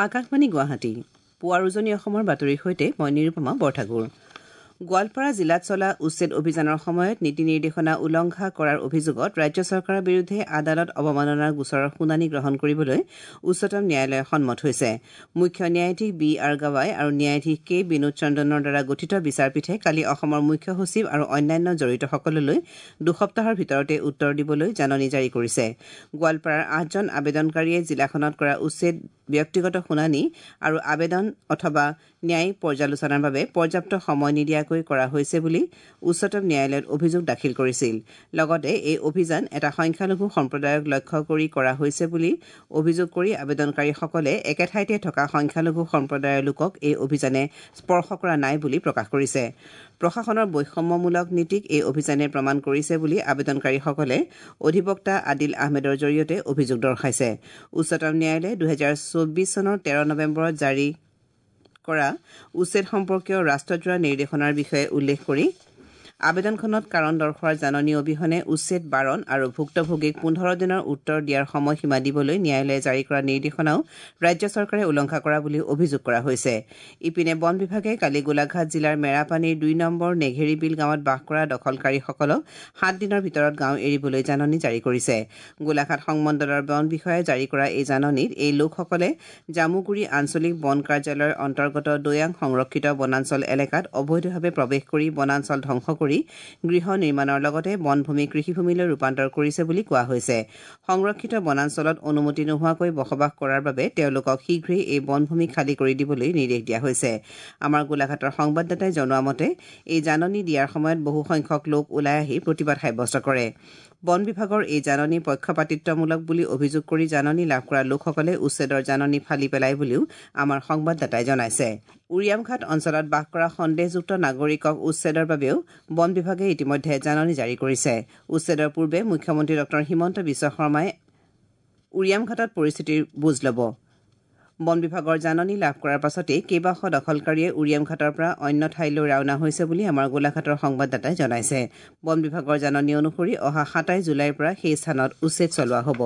আকাশবাণী গুৱাহাটী, পুৱাৰ উজনি অসমৰ বাতৰিৰ সৈতে মই নিৰুপমা বৰঠাকুৰ। গোৱালপাৰা জিলাত চলা উচ্ছেদ অভিযানৰ সময়ত নীতি নিৰ্দেশনা উলংঘা কৰাৰ অভিযোগত ৰাজ্য চৰকাৰৰ বিৰুদ্ধে আদালত অৱমাননাৰ গোচৰৰ শুনানি গ্ৰহণ কৰিবলৈ উচ্চতম ন্যায়ালয় সন্মত হৈছে। মুখ্য ন্যায়াধীশ বি আৰ গাৱাই আৰু ন্যায়াধীশ কে বিনোদ চন্দ্ৰনৰ দ্বাৰা গঠিত বিচাৰপীঠে কালি অসমৰ মুখ্য সচিব আৰু অন্যান্য জড়িতসকললৈ 2 সপ্তাহৰ ভিতৰতে উত্তৰ দিবলৈ জাননী জাৰি কৰিছে। গোৱালপাৰাৰ আঠজন আবেদনকাৰীয়ে জিলাখনত কৰা উচ্ছেদ ব্যক্তিগত শুনানি আৰু আবেদন অথবা ন্যায়িক পৰ্যালোচনাৰ বাবে পৰ্যাপ্ত সময় নিদিয়াকৈ কৰা হৈছে বুলি উচ্চতম ন্যায়ালয়ত অভিযোগ দাখিল কৰিছিল। লগতে এই অভিযান এটা সংখ্যালঘু সম্প্ৰদায়ক লক্ষ্য কৰি কৰা হৈছে বুলি অভিযোগ কৰি আবেদনকাৰীসকলে একে ঠাইতে থকা সংখ্যালঘু সম্প্ৰদায়ৰ লোকক এই অভিযানে স্পৰ্শ কৰা নাই বুলি প্ৰকাশ কৰিছে। প্ৰশাসনৰ বৈষম্যমূলক নীতিক এই অভিযানে প্ৰমাণ কৰিছে বুলি আবেদনকাৰীসকলে অধিবক্তা আদিল আহমেদৰ জৰিয়তে অভিযোগ দৰ্শাইছে। উচ্চতম ন্যায়ালয়ে 2024 চনৰ 13 নৱেম্বৰত জাৰি কৰা উচ্ছেদ সম্পৰ্কীয় ৰাষ্ট্ৰজোৰা নিৰ্দেশনাৰ বিষয়ে উল্লেখ কৰি আবেদনখনত কাৰণ দৰ্শোৱাৰ জাননী অবিহনে উচ্ছেদ বাৰণ আৰু ভুক্তভোগীক 15 দিনৰ উত্তৰ দিয়াৰ সময়সীমা দিবলৈ ন্যায়ালয়ে জাৰি কৰা নিৰ্দেশনাও ৰাজ্য চৰকাৰে উলংঘা কৰা বুলি অভিযোগ কৰা হৈছে। ইপিনে, বন বিভাগে কালি গোলাঘাট জিলাৰ মেৰাপানীৰ 2 নম্বৰ নেঘেৰিবিল গাঁৱত বাস কৰা দখলকাৰীসকলক 7 দিনৰ ভিতৰত গাঁও এৰিবলৈ জাননী জাৰি কৰিছে। গোলাঘাট সংমণ্ডলৰ বন বিষয়াই জাৰি কৰা এই জাননীত এই লোকসকলে জামুগুৰি আঞ্চলিক বন কাৰ্যালয়ৰ অন্তৰ্গত দৈয়াং সংৰক্ষিত বনাঞ্চল এলেকাত অবৈধভাৱে প্ৰৱেশ কৰি বনাঞ্চল ধ্বংস কৰি গৃহ নিৰ্মাণৰ লগতে বনভূমি কৃষিভূমিলৈ ৰূপান্তৰ কৰিছে বুলি কোৱা হৈছে। সংৰক্ষিত বনাঞ্চলত অনুমতি নোহোৱাকৈ বসবাস কৰাৰ বাবে তেওঁলোকক শীঘ্ৰেই এই বনভূমি খালী কৰি দিবলৈ নিৰ্দেশ দিয়া হৈছে। আমাৰ গোলাঘাটৰ সংবাদদাতাই জনোৱা মতে, এই জাননী দিয়াৰ সময়ত বহুসংখ্যক লোক ওলাই আহি প্ৰতিবাদ সাব্যস্ত কৰে। বন বিভাগৰ এই জাননী পক্ষপাতিত্বমূলক বুলি অভিযোগ কৰি জাননী লাভ কৰা লোকসকলে উচ্ছেদৰ জাননী ফালি পেলায় বুলিও আমাৰ সংবাদদাতাই জনাইছে। উৰিয়ামঘাট অঞ্চলত বাস কৰা সন্দেহযুক্ত নাগৰিকক উচ্ছেদৰ বাবেও বন বিভাগে ইতিমধ্যে জাননী জাৰি কৰিছে। উচ্ছেদৰ পূৰ্বে মুখ্যমন্ত্ৰী ডঃ হিমন্ত বিশ্ব শৰ্মাই উৰিয়ামঘাটত পৰিস্থিতিৰ বুজ ল'ব। বন বিভাগৰ জাননী লাভ কৰাৰ পাছতেই কেইবাশ দখলকাৰীয়ে উৰিয়ামঘাটৰ পৰা অন্য ঠাইলৈ ৰাওনা হৈছে বুলি আমাৰ গোলাঘাটৰ সংবাদদাতাই জনাইছে। বন বিভাগৰ জাননী অনুসৰি অহা 27 জুলাইৰ পৰা সেই স্থানত উচ্ছেদ চলোৱা হ'ব।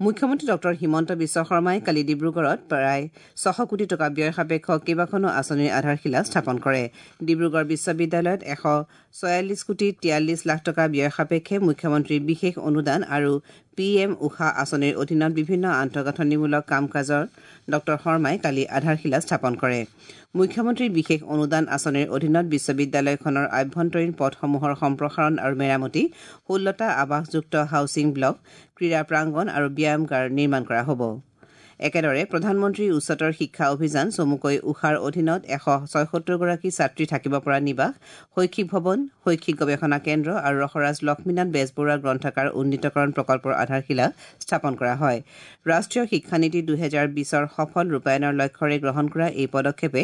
মুখ্যমন্ত্ৰী ডঃ হিমন্ত বিশ্ব শৰ্মাই কালি ডিব্ৰুগড়ত প্ৰায় 600 কোটি টকা ব্যয় সাপেক্ষ কেইবাখনো আঁচনিৰ আধাৰশিলা স্থাপন কৰে। ডিব্ৰুগড় বিশ্ববিদ্যালয়ত 146 কোটি 43 লাখ টকা ব্যয় সাপেক্ষে মুখ্যমন্ত্ৰীৰ বিশেষ অনুদান আৰু পি এম উষা আঁচনিৰ অধীনত বিভিন্ন আন্তঃগাঁথনিমূলক কাম কাজৰ ডঃ শৰ্মাই কালি আধাৰশিলা স্থাপন কৰে। মুখ্যমন্ত্ৰীৰ বিশেষ অনুদান আঁচনিৰ অধীনত বিশ্ববিদ্যালয়খনৰ আভ্যন্তৰীণ পথসমূহৰ সম্প্ৰসাৰণ আৰু মেৰামতি, 16টা আৱাসযুক্ত হাউছিং ব্লক, ক্ৰীড়া প্ৰাংগণ আৰু ব্যায়ামগাৰ নিৰ্মাণ কৰা হ'ব। একেদৰে প্ৰধানমন্ত্ৰী উচ্চতৰ শিক্ষা অভিযান চমুকৈ উষাৰ অধীনত 176গৰাকী ছাত্ৰী থাকিব পৰা নিবাস, শৈক্ষিক ভৱন, শৈক্ষিক গৱেষণা কেন্দ্ৰ আৰু ৰসৰাজ লক্ষ্মীনাথ বেজবৰুৱা গ্ৰন্থাগাৰ উন্নীতকৰণ প্ৰকল্পৰ আধাৰশিলা স্থাপন কৰা হয়। ৰাষ্ট্ৰীয় শিক্ষানীতি 2020ৰ সফল ৰূপায়ণৰ লক্ষ্যৰে গ্ৰহণ কৰা এই পদক্ষেপে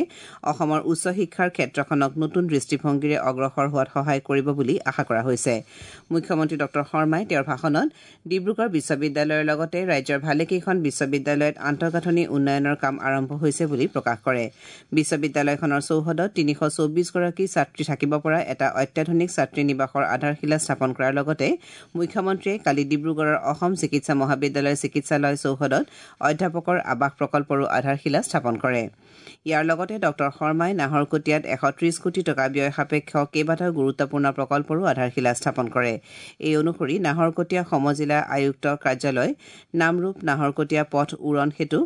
অসমৰ উচ্চ শিক্ষাৰ ক্ষেত্ৰখনক নতুন দৃষ্টিভংগীৰে অগ্ৰসৰ হোৱাত সহায় কৰিব বুলি আশা কৰা হৈছে। মুখ্যমন্ত্ৰী ডঃ শৰ্মাই তেওঁৰ ভাষণত ডিব্ৰুগড় বিশ্ববিদ্যালয়ৰ লগতে ৰাজ্যৰ ভালেকেইখন বিশ্ববিদ্যালয়ত আন্তঃগাঁথনি উন্নয়নৰ কাম আৰম্ভ হৈছে বুলি প্ৰকাশ কৰে। বিশ্ববিদ্যালয়খনৰ চৌহদত 324গৰাকী ছাত্ৰী থাকিব পৰা এটা অত্যাধুনিক ছাত্ৰী নিবাসৰ আধাৰশিলা স্থাপন কৰাৰ লগতে মুখ্যমন্ত্ৰীয়ে কালি ডিব্ৰুগড়ৰ অসম চিকিৎসা মহাবিদ্যালয় চিকিৎসালয় চৌহদত অধ্যাপকৰ আৱাস প্ৰকল্পৰো আধাৰশিলা স্থাপন কৰে। ইয়াৰ লগতে ডঃ শৰ্মাই নাহৰকটীয়াত 130 কোটি টকা ব্যয় সাপেক্ষ কেইবাটাও গুৰুত্বপূৰ্ণ প্ৰকল্পৰো আধাৰশিলা স্থাপন কৰে। এই অনুসৰি নাহৰকটীয়া সমজিলা আয়ুক্ত কাৰ্যালয়, নামৰূপ নাহৰকটীয়া পথ উৰণ সেতু,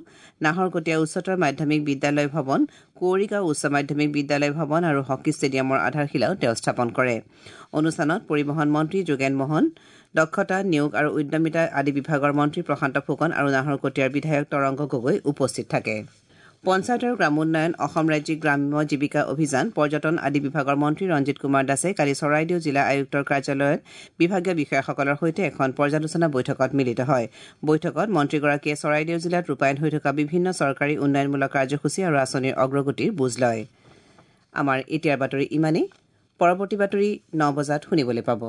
নাহৰকটীয়া উচ্চতৰ মাধ্যমিক বিদ্যালয় ভৱন, কুঁৱৰীগাঁও উচ্চ মাধ্যমিক বিদ্যালয় ভৱন আৰু হকী ষ্টেডিয়ামৰ আধাৰশিলাও তেওঁ স্থাপন কৰে। অনুষ্ঠানত পৰিবহণ মন্ত্ৰী যোগেন মহন, দক্ষতা, নিয়োগ আৰু উদ্যমিতা আদি বিভাগৰ মন্ত্ৰী প্ৰশান্ত ফুকন আৰু নাহৰকটীয়াৰ বিধায়ক তৰংগ গগৈ উপস্থিত থাকে। পঞ্চায়ত আৰু গ্ৰামোন্নয়ন, অসম ৰাজ্যিক গ্ৰাম্য জীৱিকা অভিযান, পৰ্যটন আদি বিভাগৰ মন্ত্ৰী ৰঞ্জিত কুমাৰ দাসে কালি চৰাইদেউ জিলা আয়ুক্তৰ কাৰ্যালয়ত বিভাগীয় বিষয়াসকলৰ সৈতে এখন পৰ্যালোচনা বৈঠকত মিলিত হয়। বৈঠকত মন্ত্ৰীগৰাকীয়ে চৰাইদেউ জিলাত ৰূপায়ণ হৈ থকা বিভিন্ন চৰকাৰী উন্নয়নমূলক কাৰ্যসূচী আৰু আঁচনিৰ অগ্ৰগতিৰ বুজ লয়। আমাৰ এতিয়াৰ বাতৰি ইমানেই। পৰৱৰ্তী বাতৰি 9 বজাত শুনিবলৈ পাব।